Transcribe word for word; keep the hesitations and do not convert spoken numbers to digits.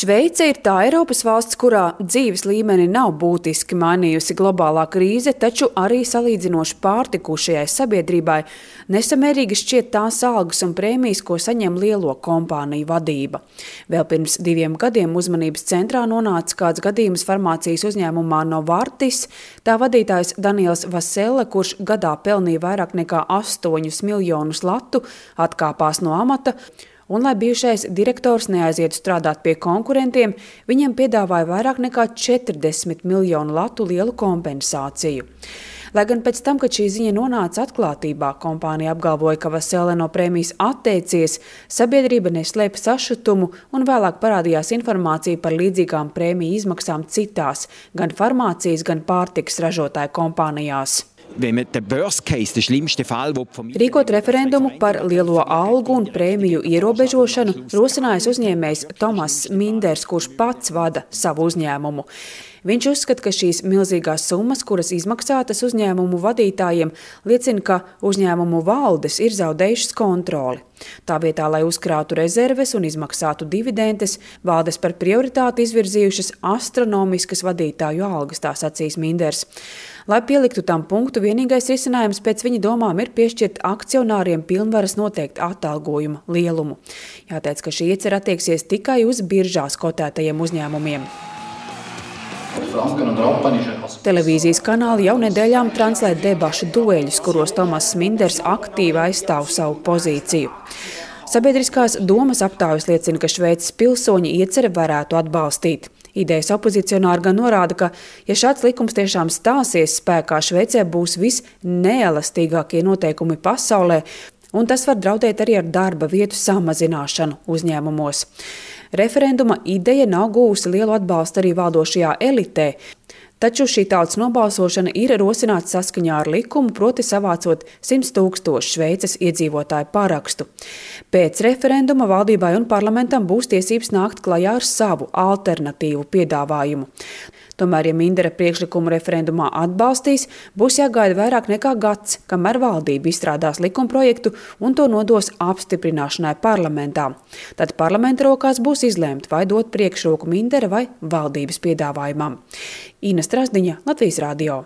Šveice ir tā Eiropas valsts, kurā dzīves līmeni nav būtiski mainījusi globālā krīze, taču arī salīdzinoši pārtikušajai sabiedrībai nesamērīgi šķiet tās algas un prēmijas, ko saņem lielo kompāniju vadība. Vēl pirms diviem gadiem uzmanības centrā nonāca kāds gadījums farmācijas uzņēmumā Novartis. Tā vadītājs Daniels Vaselle, kurš gadā pelnīja vairāk nekā astoņus miljonus latu, atkāpās no amata. Un, lai bijušais direktors neaizietu strādāt pie konkurentiem, viņam piedāvāja vairāk nekā četrdesmit miljonu latu lielu kompensāciju. Lai gan pēc tam, kad šī ziņa nonāca atklātībā, kompānija apgalvoja, ka Vaselle no prēmijas atteicies, sabiedrība neslēpa sašutumu un vēlāk parādījās informācija par līdzīgām prēmiju izmaksām citās, gan farmācijas, gan pārtikas ražotāju kompānijās. Rīkot referendumu par lielo algu un prēmiju ierobežošanu rosinājis uzņēmējs Tomas Minders, kurš pats vada savu uzņēmumu. Viņš uzskata, ka šīs milzīgās summas, kuras izmaksātas uzņēmumu vadītājiem, liecina, ka uzņēmumu valdes ir zaudējušas kontroli. Tā vietā, lai uzkrātu rezerves un izmaksātu dividendes, valdes par prioritāti izvirzījušas astronomiskas vadītāju algas, tā sacīs Minders. Lai pieliktu tam punktu, vienīgais risinājums pēc viņa domām ir piešķirt akcionāriem pilnvaras noteikt atalgojuma lielumu. Jāteic, ka šī iecer attieksies tikai uz biržās kotētajiem uzņēmumiem. Televīzijas kanāli jau nedēļām translē debašu dueļus, kuros Tomas Minders aktīvi aizstāv savu pozīciju. Sabiedriskās domas aptājas liecina, ka Šveices pilsoņi ieceri varētu atbalstīt. Idejas opozicionāri gan norāda, ka, ja šāds likums tiešām stāsies spēkā, Šveicē būs visneelastīgākie noteikumi pasaulē, un tas var draudēt arī ar darba vietu samazināšanu uzņēmumos. Referenduma ideja nav gūsi lielu atbalstu arī valdošajā elitē, taču šī tautas nobalsošana ir rosināta saskaņā ar likumu, proti savācot simts tūkstošu Šveices iedzīvotāju parakstu. Pēc referenduma valdībai un parlamentam būs tiesības nākt klajā ar savu alternatīvu piedāvājumu. Tomēr, ja Mindera priekšlikumu referendumā atbalstīs, būs jāgaida vairāk nekā gads, kamēr valdība izstrādās likumprojektu un to nodos apstiprināšanai parlamentā. Tad parlamenta rokās būs izlēmt, vai dot priekšroku Mindera vai valdības piedāvājumam. Ina Strasdiņa, Latvijas radio.